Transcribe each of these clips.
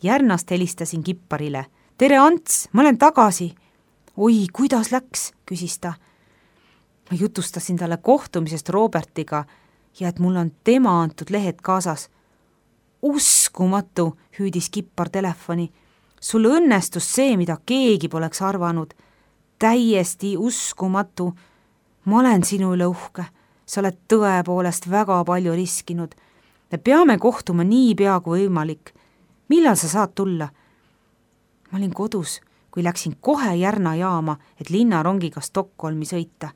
Järnast helistasin Kipparile. Tere, Ants, ma olen tagasi. Oi, kuidas läks, küsis ta. Ma jutustasin talle kohtumisest Robertiga ja et mul on tema antud lehed kaasas. Uskumatu, hüüdis Kippar telefoni. Sul õnnestus see, mida keegi poleks arvanud. Täiesti uskumatu. Ma olen sinu üle uhke. Sa oled tõepoolest väga palju riskinud. Me peame kohtuma nii pea kui võimalik. Millal sa saad tulla? Ma olin kodus, kui läksin kohe Järna jaama, et linnarongiga Stockholmi sõita.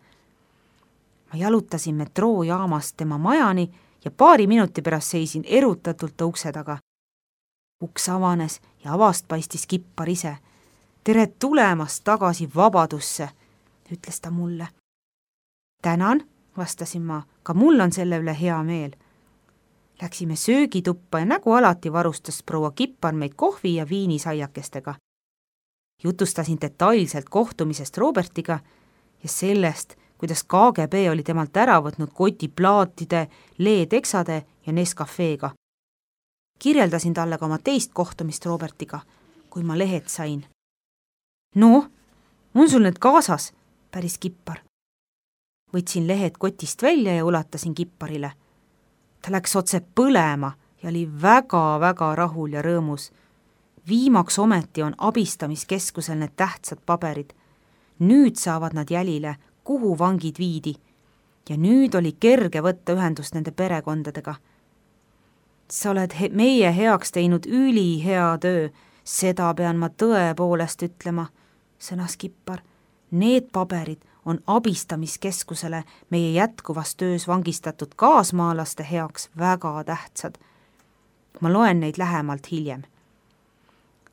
Ma jalutasin metroojaamast tema majani ja 2 minuti pärast seisin erutatult ukse taga. Uks avanes ja avast paistis Kippar ise. Tere tulemast tagasi vabadusse, ütles ta mulle. Tänan, vastasin ma, ka mul on selle üle hea meel. Läksime söögituppa ja nagu alati varustas proua Kippar meid kohvi ja viinisaiakestega. Jutustasin detailselt kohtumisest Robertiga ja sellest, kuidas KGB oli temalt ära võtnud koti plaatide, leeteksade ja Nescafeega. Kirjeldasin talle ka oma teist kohtumist Robertiga, kui ma lehed sain. No, on sul need kaasas, päris Kippar. Võtsin lehed kotist välja ja ulatasin Kipparile. Ta läks otse põlema ja oli väga-väga rahul ja rõõmus. Viimaks ometi on abistamiskeskusel need tähtsad paberid. Nüüd saavad nad jälile, kuhu vangid viidi. Ja nüüd oli kerge võtta ühendust nende perekondadega. Sa oled meie heaks teinud ülihea töö, seda pean ma tõepoolest ütlema, sõnas Kippar. Need paberid on abistamiskeskusele meie jätkuvas töös vangistatud kaasmaalaste heaks väga tähtsad. Ma loen neid lähemalt hiljem.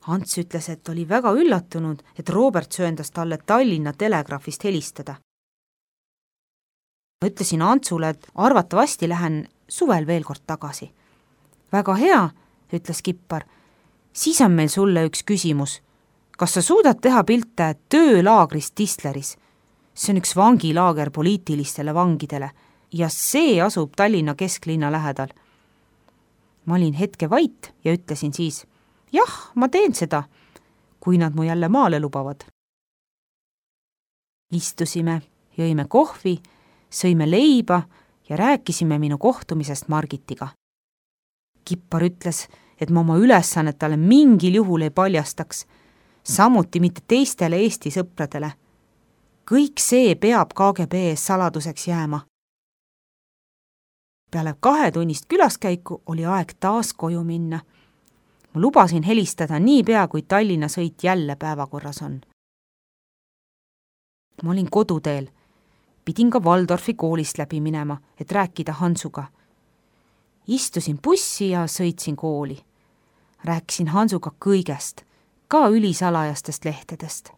Ants ütles, et oli väga üllatunud, et Robert sööndas talle Tallinna Telegraafist helistada. Ma ütlesin Antsule, et arvatavasti lähen suvel veel kord tagasi. Väga hea, ütles Kippar. Siis on meil sulle üks küsimus. Kas sa suudad teha pilte töölaagrist Tistleris? See on üks vangilaager poliitilistele vangidele ja see asub Tallinna kesklinna lähedal. Ma olin hetke vait ja ütlesin siis, jah, ma teen seda, kui nad mu jälle maale lubavad. Istusime, jõime kohvi, sõime leiba ja rääkisime minu kohtumisest Margitiga. Kippar ütles, et ma oma ülesannet talle mingil juhul ei paljastaks, samuti mitte teistele Eesti sõpradele. Kõik see peab KGB saladuseks jääma. Peale 2-tunnist külaskäiku oli aeg taas koju minna. Ma lubasin helistada nii pea, kui Tallinna sõit jälle päevakorras on. Ma olin koduteel. Pidin ka Waldorfi koolist läbi minema, et rääkida Hansuga. Istusin bussi ja sõitsin kooli. Rääkisin Hansuga kõigest, ka ülisalajastest lehtedest.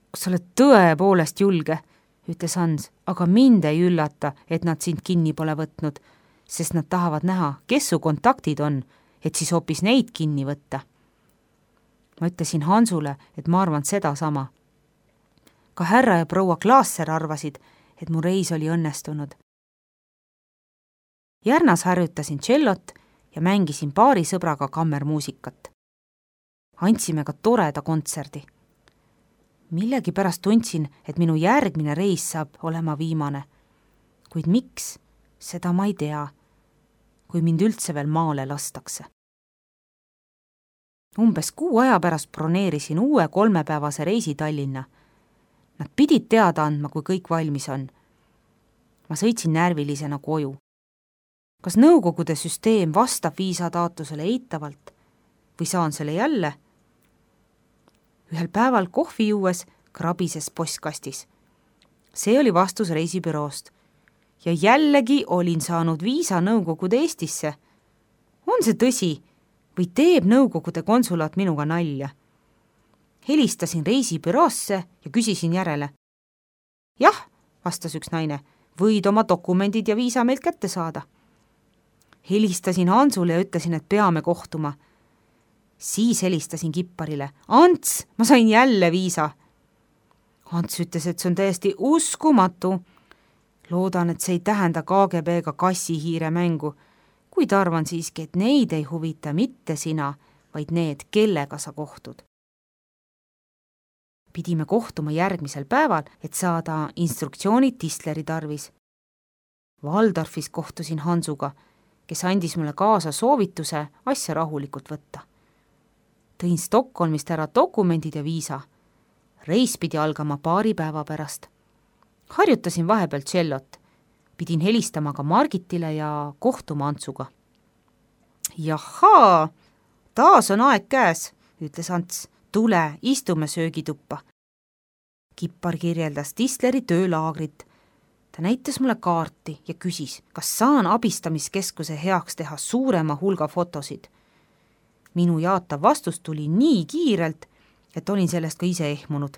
Kas sa oled tõepoolest julge, ütles Hans, aga mind ei üllata, et nad sind kinni pole võtnud, sest nad tahavad näha, kes su kontaktid on, et siis hoopis neid kinni võtta. Ma ütlesin Hansule, et ma arvan seda sama. Ka härra ja proua Klaasser arvasid, et mu reis oli õnnestunud. Järnas harjutasin tšellot ja mängisin paari sõbraga kammermuusikat. Andsime ka toreda kontserdi. Millegi pärast tundsin, et minu järgmine reis saab olema viimane. Kuid miks, seda ma ei tea, kui mind üldse veel maale lastakse. Umbes 6 aja pärast broneerisin uue 3-päevase reisi Tallinna. Nad pidid teada andma, kui kõik valmis on. Ma sõitsin närvilisena koju. Kas nõukogude süsteem vastab viisataotlusele eitavalt või saan selle jälle? Ühel päeval kohvi juues krabises postkastis. See oli vastus reisibüroost. Ja jällegi olin saanud viisa Nõukogude Eestisse. On see tõsi või teeb Nõukogude konsulaat minuga nalja? Helistasin reisibüroosse ja küsisin järele. Jah, vastas üks naine, võid oma dokumendid ja viisa meilt kätte saada. Helistasin Hansule ja ütlesin, et peame kohtuma. Siis helistasin Kipparile. Ants, ma sain jälle viisa. Ants ütles, et see on täiesti uskumatu. Loodan, et see ei tähenda KGB-ga kassihiire mängu, kuid arvan siiski, et neid ei huvita mitte sina, vaid need, kellega sa kohtud. Pidime kohtuma järgmisel päeval, et saada instruktsioonid Tistleri tarvis. Waldorfis kohtusin Hansuga, kes andis mulle kaasa soovituse asja rahulikult võtta. Tõin Stockholmist ära dokumendid ja viisa. Reis pidi algama paari päeva pärast. Harjutasin vahepeal tšellot. Pidin helistama ka Margitile ja kohtuma Antsuga. Jahaa, taas on aeg käes, ütles Ants. Tule, istume söögituppa. Kippar kirjeldas Tistleri töölaagrit. Ta näitas mulle kaarti ja küsis, kas saan abistamiskeskuse heaks teha suurema hulga fotosid. Minu jaatav vastus tuli nii kiirelt, et olin sellest ka ise ehmunud.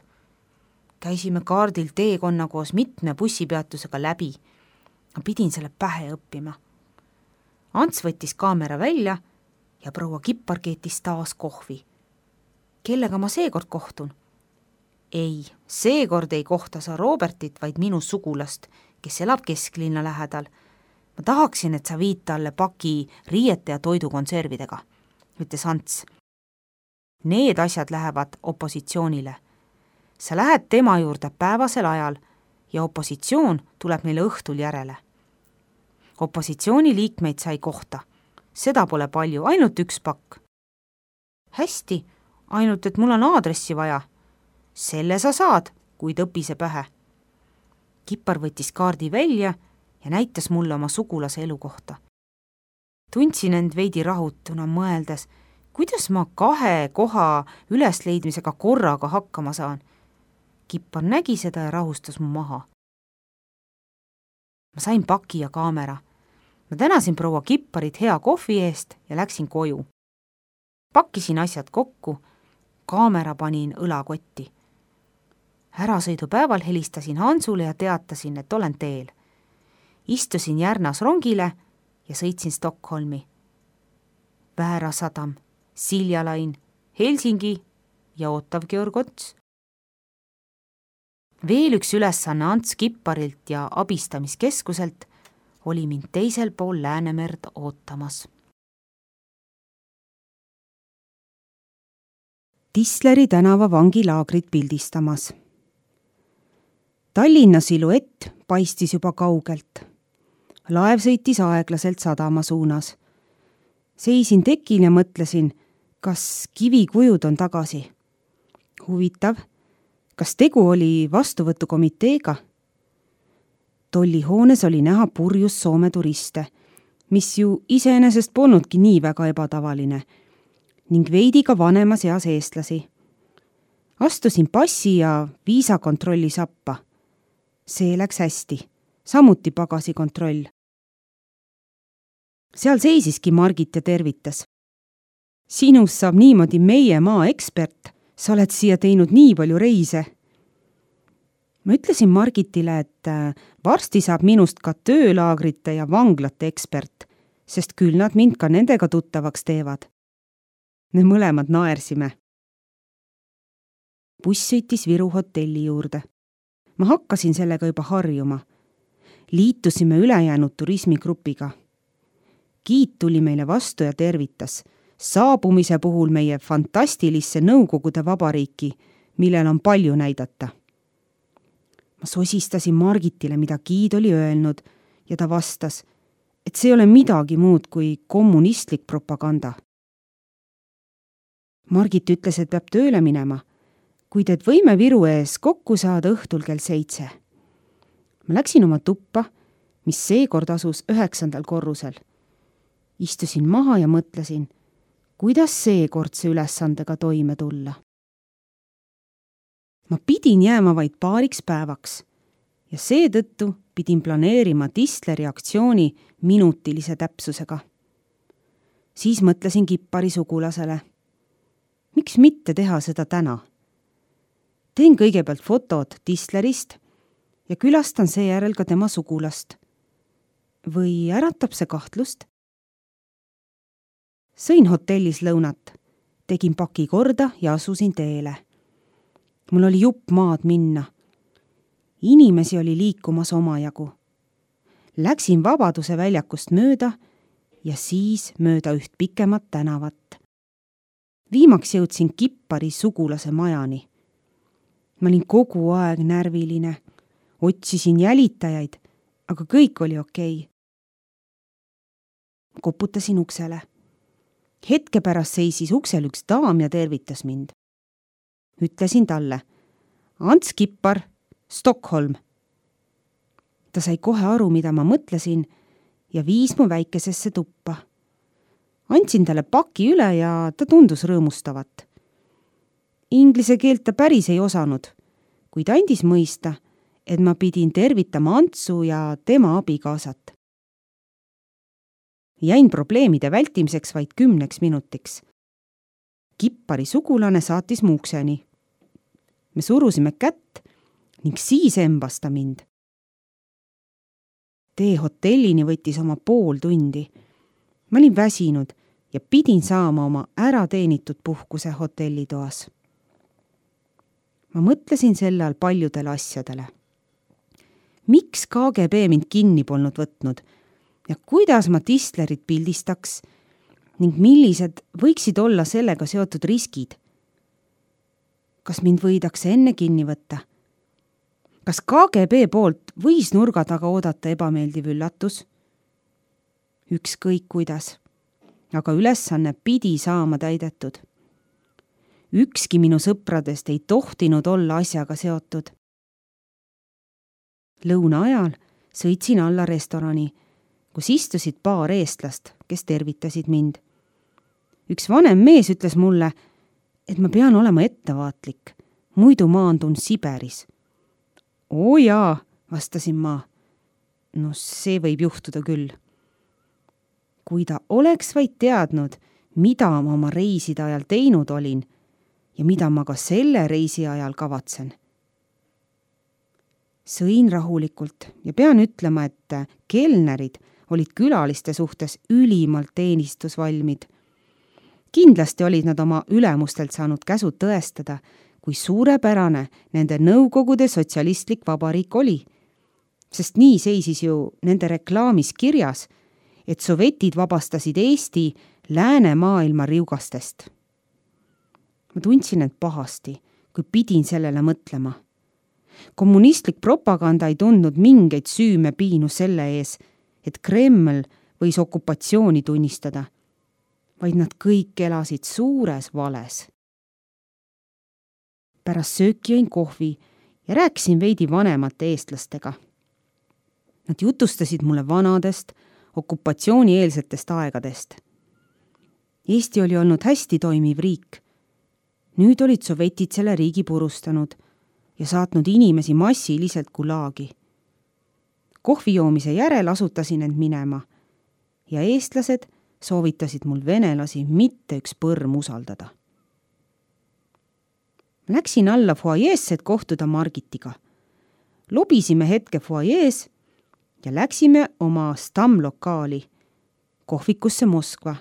Käisime kaardil teekonna koos mitme bussipeatusega läbi. Ma pidin selle pähe õppima. Ants võttis kaamera välja ja proua Kippar keetis taas kohvi. Kellega ma seekord kohtun? Ei, seekord ei kohta sa Robertit, vaid minu sugulast, kes elab kesklinna lähedal. Ma tahaksin, et sa viid talle paki riiete ja toidukonservidega, ütles Ants. Need asjad lähevad opositsioonile. Sa lähed tema juurde päevasel ajal ja opositsioon tuleb meile õhtul järele. Opositsiooni liikmeid sai kohta. Seda pole palju, ainult üks pakk. Hästi, ainult et mul on aadressi vaja. Selle sa saad, kuid õpi see pähe. Kippar võttis kaardi välja ja näitas mulle oma sugulase elukohta. Tundsin end veidi rahutuna mõeldes, kuidas ma 2 koha ülesleidmisega korraga hakkama saan. Kippar nägi seda ja rahustas mu maha. Ma sain paki ja kaamera. Ma tänasin proua Kipparit hea kohvi eest ja läksin koju. Pakkisin asjad kokku, kaamera panin õlakotti. Ärasõidupäeval helistasin Hansule ja teatasin, et olen teel. Istusin Järnas rongile ja sõitsin Stockholmi. Väära sadam, Siljalain, Helsingi ja ootav Georg Ots. Veel üks ülesanne Ants Kipparilt ja abistamiskeskuselt oli mind teisel pool Läänemerd ootamas. Tistleri tänava vangilaagrit pildistamas. Tallinna siluett paistis juba kaugelt. Laev sõitis aeglaselt sadama suunas. Seisin tekil ja mõtlesin, kas kivikujud on tagasi. Huvitav, kas tegu oli vastuvõtukomiteega? Tollihoones oli näha purjus Soome turiste, mis ju iseenesest polnudki nii väga ebatavaline, ning veidi ka vanemas eas eestlasi. Astusin passi ja viisakontrolli sappa. See läks hästi, samuti pagasikontroll. Seal seisiski Margit ja tervitas. Sinust saab niimoodi meie maa ekspert, sa oled siia teinud nii palju reise. Ma ütlesin Margitile, et varsti saab minust ka töölaagrite ja vanglate ekspert, sest küll nad mind ka nendega tuttavaks teevad. Me mõlemad naersime. Buss sõitis Viru hotelli juurde. Ma hakkasin sellega juba harjuma. Liitusime ülejäänud turismigrupiga. Giid tuli meile vastu ja tervitas. Saabumise puhul meie fantastilisse Nõukogude vabariiki, millel on palju näidata. Ma sosistasin Margitile, mida Giid oli öelnud, ja ta vastas, et see ei ole midagi muud kui kommunistlik propaganda. Margit ütles, et peab tööle minema, kuid et võime Viru ees kokku saada õhtul kell 7. Ma läksin oma tuppa, mis seekord asus 9. korrusel. Istusin maha ja mõtlesin, kuidas seekordse ülesandega toime tulla. Ma pidin jääma vaid paariks päevaks ja seetõttu pidin planeerima Tistleri aktsiooni minutilise täpsusega. Siis mõtlesin Kippari sugulasele. Miks mitte teha seda täna? Teen kõigepealt fotod Tistlerist ja külastan seejärel ka tema sugulast. Või äratab see kahtlust? Sõin hotellis lõunat, tegin paki korda ja asusin teele. Mul oli jupp maad minna. Inimesi oli liikumas omajagu. Läksin Vabaduse väljakust mööda ja siis mööda üht pikemat tänavat. Viimaks jõudsin Kippari sugulase majani. Ma olin kogu aeg närviline, otsisin jälitajaid, aga kõik oli okei. Koputasin uksele. Hetke pärast seisis uksel üks daam ja tervitas mind. Ütlesin talle, Ants Kippar, Stockholm. Ta sai kohe aru, mida ma mõtlesin ja viis mu väikesesse tuppa. Andsin talle paki üle ja ta tundus rõõmustavat. Inglise keelt ta päris ei osanud, kuid andis mõista, et ma pidin tervitama Antsu ja tema abikaasat. Jäin probleemide vältimiseks vaid 10 minutiks. Kippari sugulane saatis mu ukseni. Me surusime kätt ning siis embas ta mind. Tee hotellini võttis oma pool tundi. Ma olin väsinud ja pidin saama oma ärateenitud puhkuse hotellitoas. Ma mõtlesin selle all paljudele asjadele. Miks KGB mind kinni polnud võtnud ja kuidas ma Tistlerit pildistaks ning millised võiksid olla sellega seotud riskid? Kas mind võidakse enne kinni võtta? Kas KGB poolt võis nurga taga oodata ebameeldiv üllatus? Ükskõik kuidas, aga ülesanne pidi saama täidetud. Ükski minu sõpradest ei tohtinud olla asjaga seotud. Lõuna ajal sõitsin alla restorani, kus istusid paar eestlast, kes tervitasid mind. Üks vanem mees ütles mulle, et ma pean olema ettevaatlik, muidu maandun Siberis. Oo jaa, vastasin ma. No see võib juhtuda küll. Kui ta oleks vaid teadnud, mida ma oma reiside ajal teinud olin ja mida ma ka selle reisi ajal kavatsen. Sõin rahulikult ja pean ütlema, et kelnerid olid külaliste suhtes ülimalt teenistusvalmid. Kindlasti olid nad oma ülemustelt saanud käsud tõestada, kui suurepärane nende Nõukogude sotsialistlik vabariik oli. Sest nii seisis ju nende reklaamis kirjas, et sovetid vabastasid Eesti läänemaailma riugastest. Ma tundsin end pahasti, kui pidin sellele mõtlema. Kommunistlik propaganda ei tundnud mingeid süüme piinu selle ees, et Kreml võis okupatsiooni tunnistada, vaid nad kõik elasid suures vales. Pärast sööki jõin kohvi ja rääkisin veidi vanemate eestlastega. Nad jutustasid mulle vanadest, okupatsioonieelsetest aegadest. Eesti oli olnud hästi toimiv riik. Nüüd olid sovetid selle riigi purustanud ja saatnud inimesi massiliselt gulaagi. Kohvi joomise järel asutasin end minema ja eestlased soovitasid mul venelasi mitte üks põrm usaldada. Läksin alla fuajeesse, et kohtuda Margitiga. Lobisime hetke fuajees ja läksime oma stamlokaali, kohvikusse Moskva.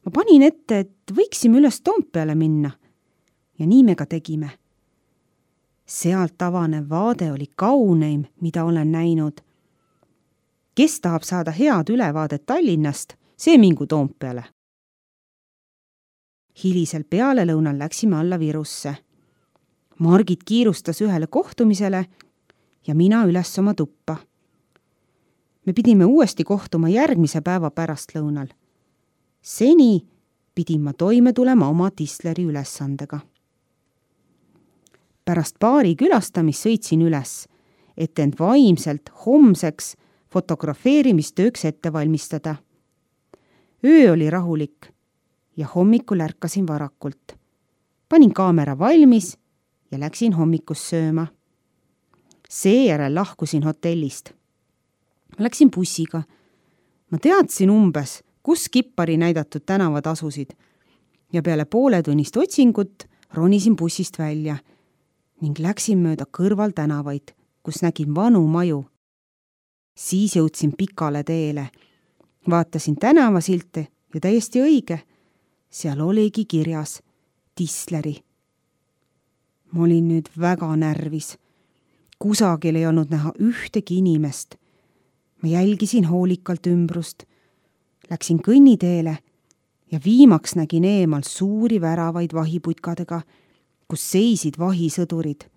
Ma panin ette, et võiksime üles Toompeale minna ja nii me ka tegime. Sealt avanev vaade oli kauneim, mida olen näinud. Kes tahab saada head ülevaadet Tallinnast, see mingu Toompeale. Hilisel pealelõunal läksime alla Virusse. Margit kiirustas ühele kohtumisele ja mina üles oma tuppa. Me pidime uuesti kohtuma järgmise päeva pärastlõunal. Seni pidin ma toime tulema oma Tistleri ülesandega. Pärast baari külastamist sõitsin üles, et end vaimselt homseks fotografeerimistööks ette valmistada. Öö oli rahulik ja hommikul ärkasin varakult. Panin kaamera valmis ja läksin hommikust sööma. Seejärel lahkusin hotellist. Ma läksin bussiga. Ma teadsin umbes, kus Kippari näidatud tänavad asusid ja peale pooletunnist otsingut ronisin bussist välja ning läksin mööda kõrval tänavaid, kus nägin vanu maju. Siis jõudsin pikale teele. Vaatasin tänavasilte ja täiesti õige. Seal oligi kirjas Tistleri. Ma olin nüüd väga närvis. Kusagil ei olnud näha ühtegi inimest. Ma jälgisin hoolikalt ümbrust. Läksin kõnniteele ja viimaks nägin eemal suuri väravaid vahiputkadega, kus seisid vahisõdurid.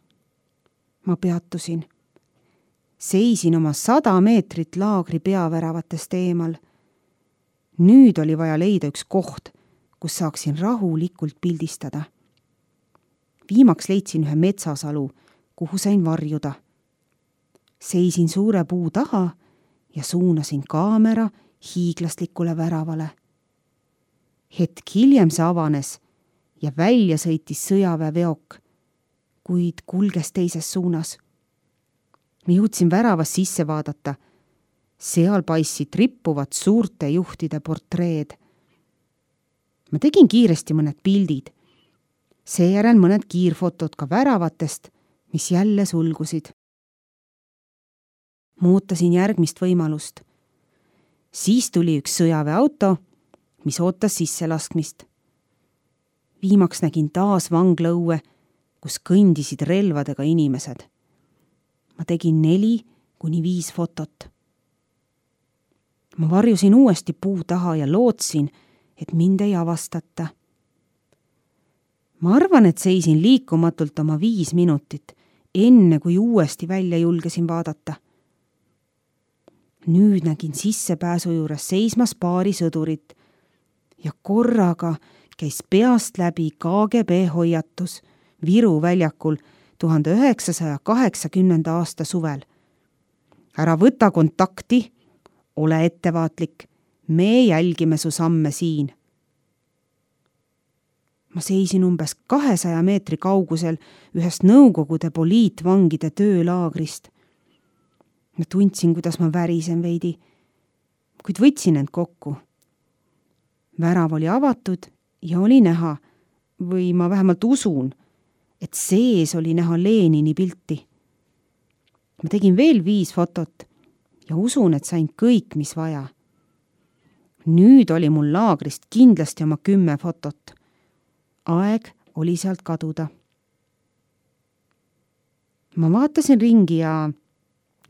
Ma peatusin. Seisin oma 100 meetrit laagri peaväravatest eemal. Nüüd oli vaja leida üks koht, kus saaksin rahulikult pildistada. Viimaks leidsin ühe metsasalu, kuhu sain varjuda. Seisin suure puu taha ja suunasin kaamera hiiglaslikule väravale. Hetk hiljem see avanes ja välja sõitis sõjaväeveok, kuid kulges teises suunas. Ma jõudsin väravas sisse vaadata. Seal paistsid rippuvad suurte juhtide portreed. Ma tegin kiiresti mõned pildid. Seejärel mõned kiirfotod ka väravatest, mis jälle sulgusid. Ma ootasin järgmist võimalust. Siis tuli üks sõjaväeauto, mis ootas sisselaskmist. Viimaks nägin taas vanglaõue, kus kõndisid relvadega inimesed. Ma tegin 4-5 fotot. Ma varjusin uuesti puu taha ja lootsin, et mind ei avastata. Ma arvan, et seisin liikumatult oma 5 minutit, enne kui uuesti välja julgesin vaadata. Nüüd nägin sissepääsu juures seismas paari sõdurit ja korraga käis peast läbi KGB hoiatus Viru väljakul 1980. aasta suvel. Ära võta kontakti, ole ettevaatlik, me jälgime su samme siin. Ma seisin umbes 200 meetri kaugusel ühest Nõukogude poliitvangide töölaagrist. Ma tundsin, kuidas ma värisen veidi, kuid võtsin end kokku. Värav oli avatud ja oli näha, või ma vähemalt usun, et sees oli näha Lenini pilti. Ma tegin veel 5 fotot ja usun, et sain kõik, mis vaja. Nüüd oli mul laagrist kindlasti oma 10 fotot. Aeg oli sealt kaduda. Ma vaatasin ringi ja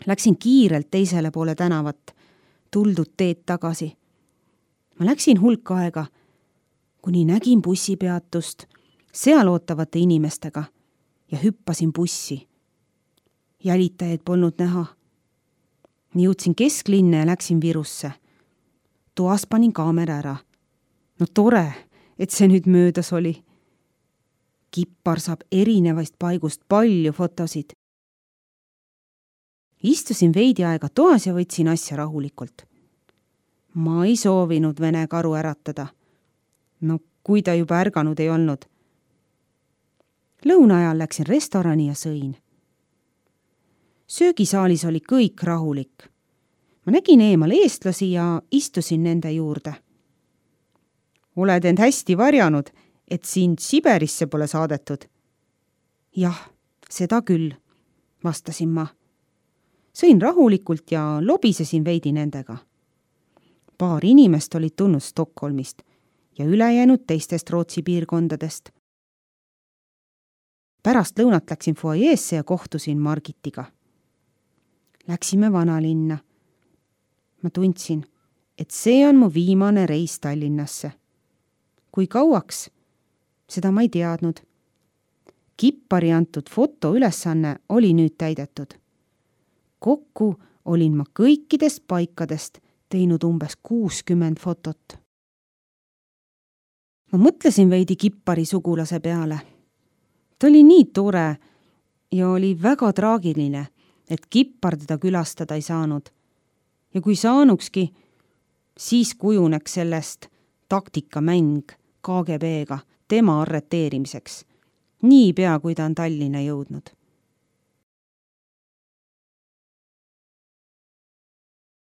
läksin kiirelt teisele poole tänavat, tuldud teed tagasi. Ma läksin hulk aega, kuni nägin bussipeatust seal ootavate inimestega ja hüppasin bussi. Jälitajaid polnud näha. Jõudsin kesklinna ja läksin Virusse. Toas panin kaamera ära. No tore, et see nüüd möödas oli. Kippar saab erinevast paigust palju fotosid. Istusin veidi aega toas ja võtsin asja rahulikult. Ma ei soovinud Vene karu äratada. No kui ta juba ärganud ei olnud. Lõuna ajal läksin restorani ja sõin. Söögisaalis oli kõik rahulik. Ma nägin eemal eestlasi ja istusin nende juurde. Oled end hästi varjanud, et sind Siberisse pole saadetud? Jah, seda küll, vastasin ma. Sõin rahulikult ja lobisesin veidi nendega. Paar inimest olid tulnud Stockholmist ja ülejäänud teistest Rootsi piirkondadest. Pärast lõunat läksin fuajeesse ja kohtusin Margitiga. Läksime vanalinna. Ma tundsin, et see on mu viimane reis Tallinnasse. Kui kauaks? Seda ma ei teadnud. Kippari antud fotoülesanne oli nüüd täidetud. Kokku olin ma kõikidest paikadest teinud umbes 60 fotot. Ma mõtlesin veidi Kippari sugulase peale. Ta oli nii tore ja oli väga traagiline, et Kippar teda külastada ei saanud. Ja kui saanukski, siis kujuneks sellest taktikamäng KGB-ga tema arreteerimiseks, niipea kui ta on Tallinna jõudnud.